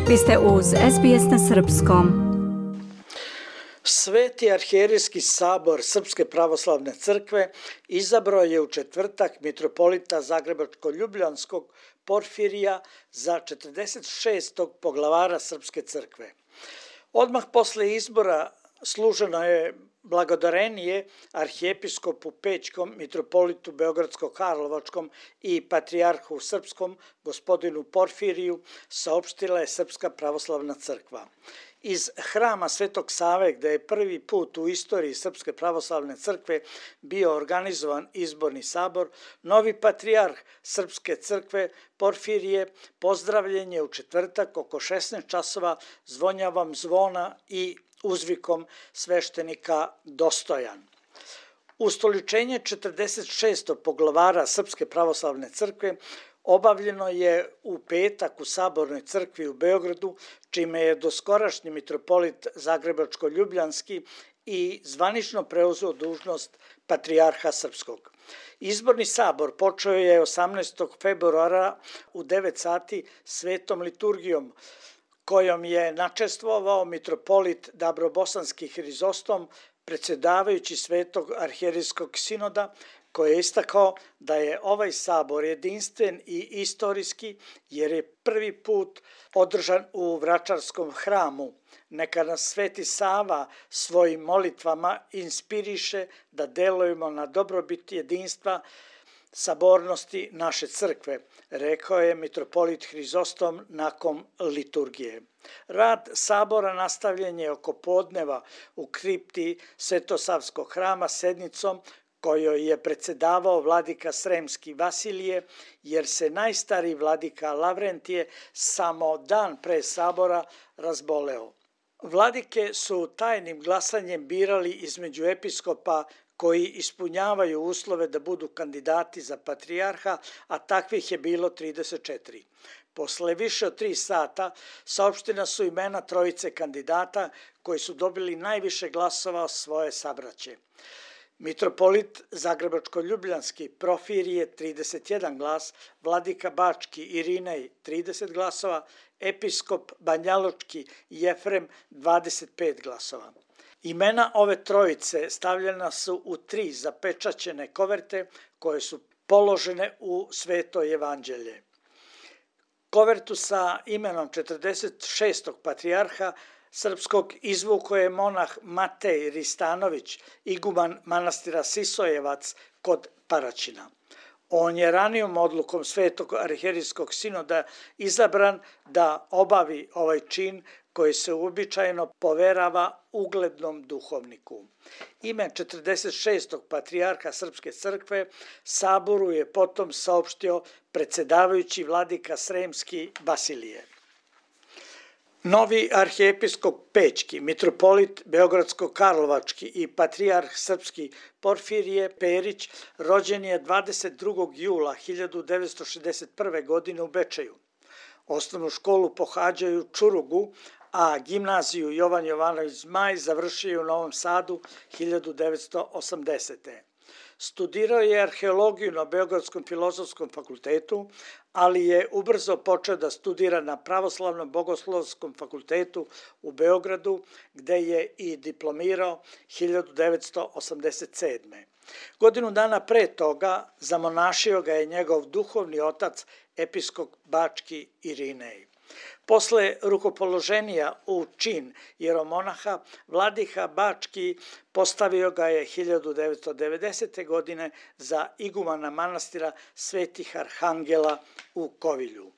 Vi ste uz SBS na srpskom. Sveti arhijerijski sabor Srpske pravoslavne crkve izabrao je u četvrtak mitropolita Zagrebačko-ljubljanskog Porfirija za 46. poglavara Srpske crkve. Odmah posle izbora služeno je blagodarenje arhijepiskopu Pećkom, mitropolitu Beogradsko-Karlovačkom i patrijarhu srpskom gospodinu Porfiriju, saopštila je Srpska pravoslavna crkva. Iz hrama Svetog Save, gde je prvi put u istoriji Srpske pravoslavne crkve bio organizovan izborni sabor, novi patrijarh Srpske crkve Porfirije pozdravljen je u četvrtak oko 16 časova zvonjavom zvona i uzvikom sveštenika dostojan. Ustoličenje 46. poglavara Srpske pravoslavne crkve obavljeno je u petak u Sabornoj crkvi u Beogradu, čime je doskorašnji mitropolit Zagrebačko-ljubljanski i zvanično preuzeo dužnost patrijarha srpskog. Izborni sabor počeo je 18. februara u 9 sati svetom liturgijom, kojom je načestvovao mitropolit Dabrobosanski Hrizostom, predsjedavajući Svetog arhijerijskog sinoda, koji je istakao da je ovaj sabor jedinstven i istorijski jer je prvi put održan u Vračarskom hramu. Neka nas Sveti Sava svojim molitvama inspiriše da delujemo na dobrobit jedinstva sabornosti naše crkve, rekao je mitropolit Hrizostom nakon liturgije. Rad sabora nastavljen je oko podneva u kripti Svetosavskog hrama sednicom kojoj je predsjedavao vladika Sremski Vasilije, jer se najstariji vladika Lavrentije samo dan pre sabora razboleo. Vladike su tajnim glasanjem birali između episkopa koji ispunjavaju uslove da budu kandidati za patrijarha, a takvih je bilo 34. Posle više od 3 sata saopštena su imena trojice kandidata koji su dobili najviše glasova svoje sabraće. Mitropolit Zagrebačko-ljubljanski Porfirije 31 glas, vladika Bački Irinej 30 glasova, episkop Banjalučki Jefrem 25 glasova. Imena ove trojice stavljena su u 3 zapečaćene koverte koje su položene u Sveto evanđelje. Kovertu sa imenom 46. patrijarha srpskog izvukao je monah Matej Ristanović, iguman manastira Sisojevac kod Paraćina. On je ranijom odlukom Svetog arhijerijskog sinoda izabran da obavi ovaj čin koji se uobičajeno poverava uglednom duhovniku. Ime 46. patrijarha Srpske crkve saboru je potom saopštio predsjedavajući vladika Sremski Vasilije. Novi arhijepiskop Pećki, mitropolit Beogradsko-Karlovački i patrijarh srpski Porfirije Perić rođen je 22. jula 1961. godine u Bečeju. Osnovnu školu pohađaju u Čurugu, a gimnaziju Jovan Jovanović Zmaj završio u Novom Sadu 1980. Studirao je arheologiju na Beogradskom filozofskom fakultetu, ali je ubrzo počeo da studira na Pravoslavnom bogoslovskom fakultetu u Beogradu, gde je i diplomirao 1987. Godinu dana pre toga zamonašio ga je njegov duhovni otac, episkop Bački Irinej. Posle rukopoloženja u čin jeromonaha, vladika Bački postavio ga je 1990. godine za igumana manastira Svetih Arhangela u Kovilju.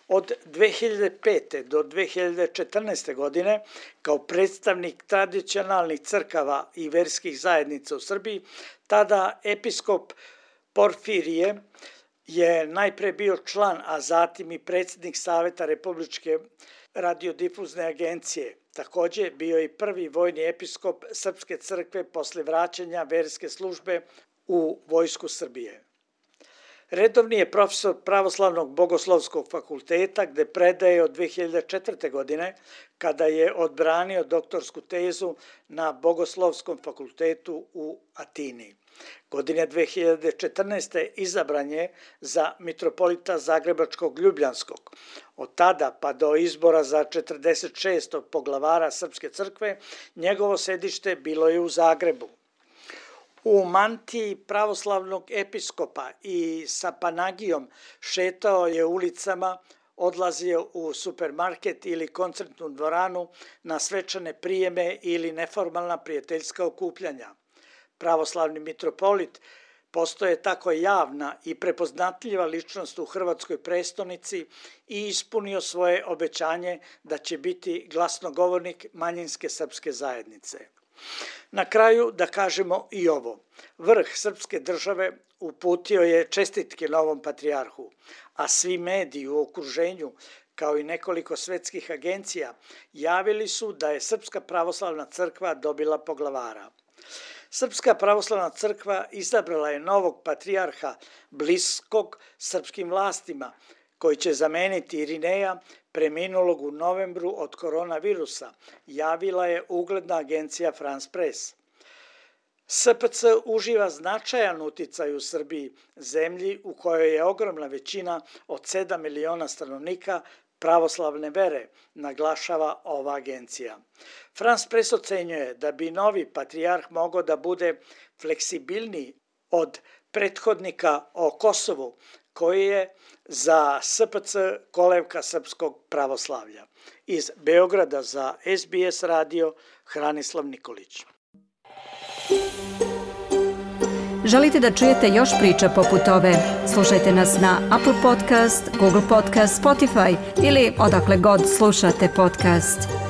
Od 2005. do 2014. godine, kao predstavnik tradicionalnih crkava i verskih zajednica u Srbiji, tada episkop Porfirije je najpre bio član, a zatim i predsjednik Saveta Republičke radiodifuzne agencije. Također bio i prvi vojni episkop Srpske crkve posle vraćanja verske službe u Vojsku Srbije. Redovni je profesor Pravoslavnog bogoslovskog fakulteta gde predaje od 2004. godine kada je odbranio doktorsku tezu na Bogoslovskom fakultetu u Atini. Godine 2014. izabran je za mitropolita Zagrebačkog Ljubljanskog. Od tada pa do izbora za 46. poglavara Srpske crkve njegovo sedište bilo je u Zagrebu. U mantiji pravoslavnog episkopa i sa panagijom šetao je ulicama, odlazio u supermarket ili koncertnu dvoranu na svečane prijeme ili neformalna prijateljska okupljanja. Pravoslavni mitropolit postoje tako javna i prepoznatljiva ličnost u hrvatskoj prestonici i ispunio svoje obećanje da će biti glasnogovornik manjinske srpske zajednice. Na kraju da kažemo i ovo. Vrh srpske države uputio je čestitke novom patrijarhu, a svi mediji u okruženju, kao i nekoliko svetskih agencija, javili su da je Srpska pravoslavna crkva dobila poglavara. Srpska pravoslavna crkva izabrala je novog patrijarha bliskog srpskim vlastima, koji će zameniti Irineja, preminulog u novembru od koronavirusa, javila je ugledna agencija France Press. SPC uživa značajan uticaj u Srbiji, zemlji u kojoj je ogromna većina od 7 miliona stanovnika pravoslavne vere, naglašava ova agencija. France Press ocenjuje da bi novi patrijarh mogao da bude fleksibilniji od prethodnika o Kosovu, koji je za SPC kolevka srpskog pravoslavlja. Iz Beograda za SBS radio Hranislav Nikolić. Želite da čujete još priča poput ove? Slušajte nas na Apple Podcast, Google Podcast, Spotify ili odakle god slušate podcast.